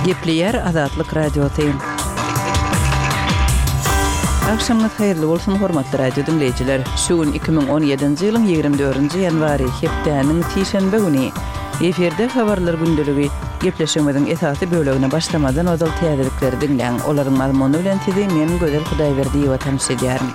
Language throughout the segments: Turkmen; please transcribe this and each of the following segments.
Gepleýär Azatlyk Radiosy. Agşamyňyz haýyrly bolsun, hormatly radio diňleýjiler! Şu gün 2017-nji ýylyň 24-nji ýanwary, hepdäniň sişenbe güni. Efirde Habarlar gündeligi. Gepleşigimiziň esasy bölegine başlamazdan ozal täzelikleri diňläň. Olaryň mazmuny bilen sizi men, Gözel Hudaýberdiýewa tanyş edýärin.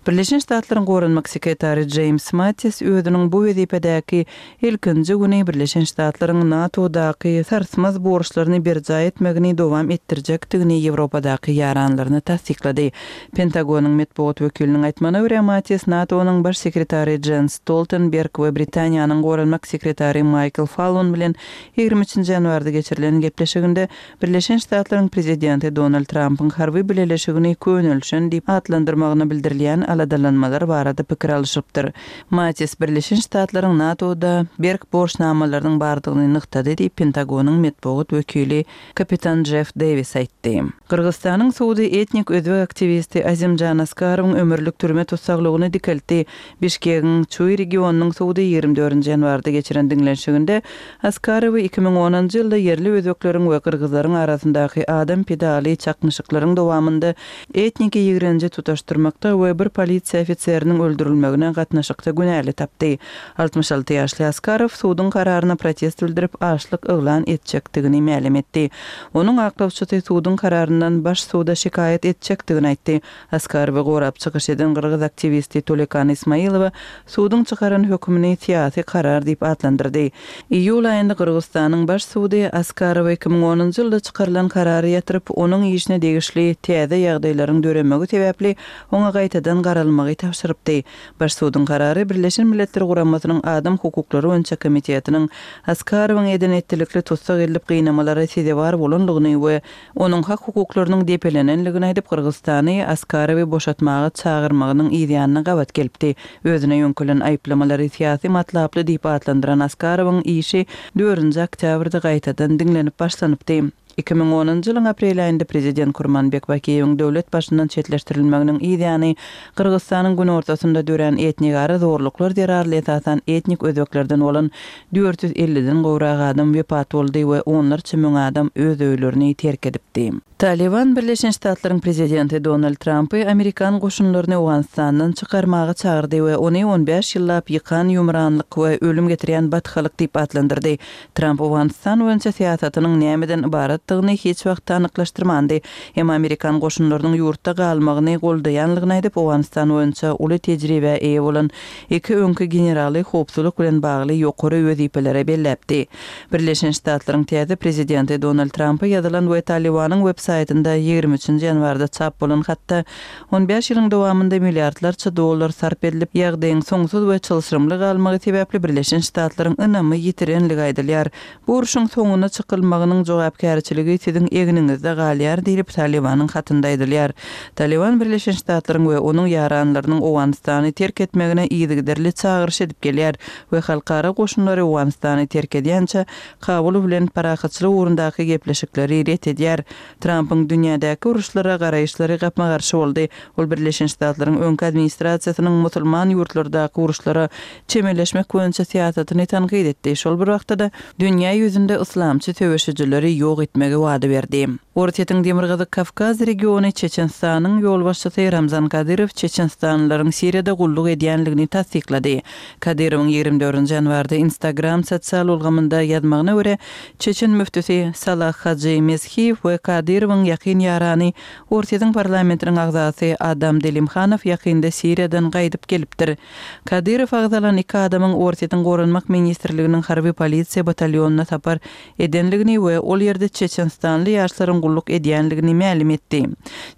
Birleşen Ştatlaryň Goranmak sekretary Jeýms Mattis özüniň bu wezipedäki ilkinji güni Birleşen Ştatlaryň NATO-daky sarsmaz borçlaryny berjaý etmegini dowam etdirjekdigini Ýewropadaky ýaranlaryna tassyklady. Pentagonyň metbugat wekiliniň aýtmagyna görä, Mattis NATO-nyň baş sekretary Jens Stoltenberg we Britaniýanyň goranmak sekretary Maýkl Fallon bilen 23-nji ýanwarda geçirilen gepleşiginde Birleşen Ştatlaryň prezidenti Donald Trampyň harby bileleşigini könelişen diýip atlandyrmagyna bildirilýän aladalanmalar barada pikir alyşypdyr. Mattis Birleşen Ştatlaryň NATO-da berk borçnamalarynyň bardygyny nygtady diýip, Pentagonyň metbugat wekili kapitan Jeff Dewis aýtdy. Gyrgyzystanyň sudy etnik özbek aktiwisti Azimjan Askarowyň ömürlik türme tussaglygyny dikeltdi. Bişkegiň Çuý regionynyň sudy 24-nji ýanwarda geçiren diňlenişiginde Askarowy 2010-njy ýylda ýerli özbekleriň we gyrgyzlaryň arasyndaky adam pidaly çaknyşyklaryň dowamynda etniki ýigrenji tutaşdyrmakda we bir polisiýa ofiseriniň öldürilmegine gatnaşykda günäli tapdy. 66 ýaşly Askarow suduň kararyna protest bildirip, açlyk yglan etjekdigini mälim etdi. Onuň aklawçysy suduň kararyndan baş suda şikaýat etjekdigini aýtdy. Askarowy gorap çykyş eden gyrgyz aktiwisti Tolekan Ismailowa suduň çykaran hökümini syýasy karar diýip atlandyrdy. Iýul aýynda Gyrgyzystanyň Baş sudy Askarowa 2010-njy ýylda çykarylan karary ýatyryp, onuň işine degişli täze ýagdaýlaryň döremegi sebäpli oňa gaýtadan garalmagy tabşyrypdy. Baş suduň karary Birleşen Milletler Guramasynyň Adam hukuklary boýunça komitetiniň Askarowyň eden-etdilikli tussag edilip gynamalara sezewar bolandygyny we onuň hak-hukuklarynyň depelenendigini aýdyp, Gyrgyzystany Askarowy boşatmaga çagyrmagynyň yzýanyna gabat gelipdi. Özüne ýöňkelen aýyplamalary syýasy matlaply diýip atlandyran Askarowyň işi dördünji oktýabrda gaýtadan diňlenip başlanypdy. 2010-njy ýylyň aprel aýynda prezident Kurmanbek Bakiýewiň döwlet başyndan çetleşdirilmeginiň yzýany Gyrgyzystanyň günortasynda dörän etnigara zorluklar zerarly esasan etnik özbeklerden bolan 450-den gowrak adam wepat boldy we onlarça müň adam öz öýlerini terk edipdi. Talyban Birleşen Ştatlaryň prezidenti Donald Trampy amerikan goşunlaryny Owganystandan çykarmaga çagyrdy we ony on bäş ýyllap ýykan-ýumranlyk we ölüm getirýän batgalyk diýip atlandyrdy. Tramp Owganystan boýunça syýasatynyň nämeden ybaratdygyny hiç wagtda anyklaşdyrmandy. Emma amerikan goşunlarynyň ýurtda galmagyny goldaýanlygyny aýdyp, Owganystan boýunça uly tejribä eýe bolan iki öňki generaly howpsuzlyk bilen bagly ýokary wezipelere belläpdi. Birleşen Ştatlaryň täze prezidenti Donald Trampa ýazylan we Talybanyň web-saýtynda 23-nji ýanwarda çap bolan hatda on bäş ýylyň dowamynda milliardlarça dollar sarp edilip, ýagdaýyň soňsuz we çylşyrymly galmagy sebäpli Birleşen Ştatlaryň ynamy ýitirenligi aýdylýar. Bu urşuň soňuna çykylmagynyň jogapkärçiligi siziň egniňizde galýar diýlip, Talybanyň hatynda aýdylýar. Talyban Birleşen Ştatlaryň we onuň ýaranlarynyň Owganystany terk etmegine yzygiderli çagyryş edip gelýär we halkara goşunlary Owganystany terk edýänçä Kabul bilen parahatçylyk ugrundaky gepleşikleri ret edýär. Trampyň dünýädäki uruşlara garaýyşlary gapma-garşy boldy. Ol Birleşen Ştatlaryň öňki administrasiýasynyň musulman ýurtlardaky uruşlara çemeleşmek boýunça syýasatyny tankyt etdi, şol bir wagtda-da, dünýä ýüzünde yslamçy söweşijileri ýok etmegi wada berdi. Orsýetiň Demirgazyk Kawkaz regiony Çeçenistanyň ýolbaşçysy Ramzan Kadyrow çeçenistanlylaryň Siriýada gulluk edýänligini tassyklady. Kadyrowyň 24-nji ýanwarda Instagram sosial ulgamynda ýazmagyna görä, çeçen müftüsi Salah Hajy Meshiýew we Kadyrowyň ýakyn ýarany, Orsýetiň parlamentiniň agzasy Adam Delimhanow ýakynda Siriýadan gaýdyp gelipdir. Kadyrow agzalan iki adamyň Orsýetiň Goranmak ministrliginiň harby polisiýa batalýonyna sapar edenligini we ol ýerde çeçenistanly ýaşlaryň gulluk edýänligini mälim etdi.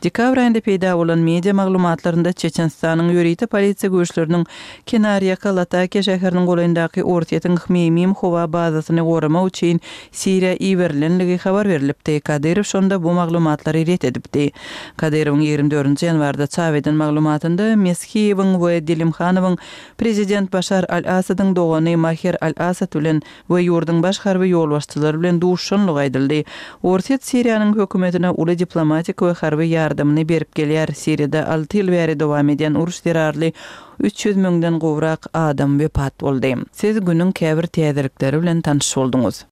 Dekabr aýynda peýda bolan media maglumatlarynda Çeçenistanyň ýörite polisiýa güýçleriniň kenarýaka Latakiýa şäheriniň golaýyndaky Orsýetiň Hmeýmim howa bazasyny goramak üçin Siriýa iberilenligi habar berlipdi. Kadyrow şonda bu maglumatlary ret edipdi. Kadyrowyň 24-nji ýanwarda çap eden maglumatynda Meshiýewiň we Delimhanowyň prezident Başar al-Assadyň dogany Maher al-Assad bilen we ýurduň baş harby ýolbaşçylary bilen duşuşanlygy aýdyldy. Orsýet Siriýanyň hökümetine uly diplomatik we harby ýardamyny berip gelýär. Siriýada alty ýyl bäri dowam edýän uruş zerarly 300 müňden gowrak adam wepat boldy. Siz günüň käbir täzelikleri bilen tanyş bolduňyz.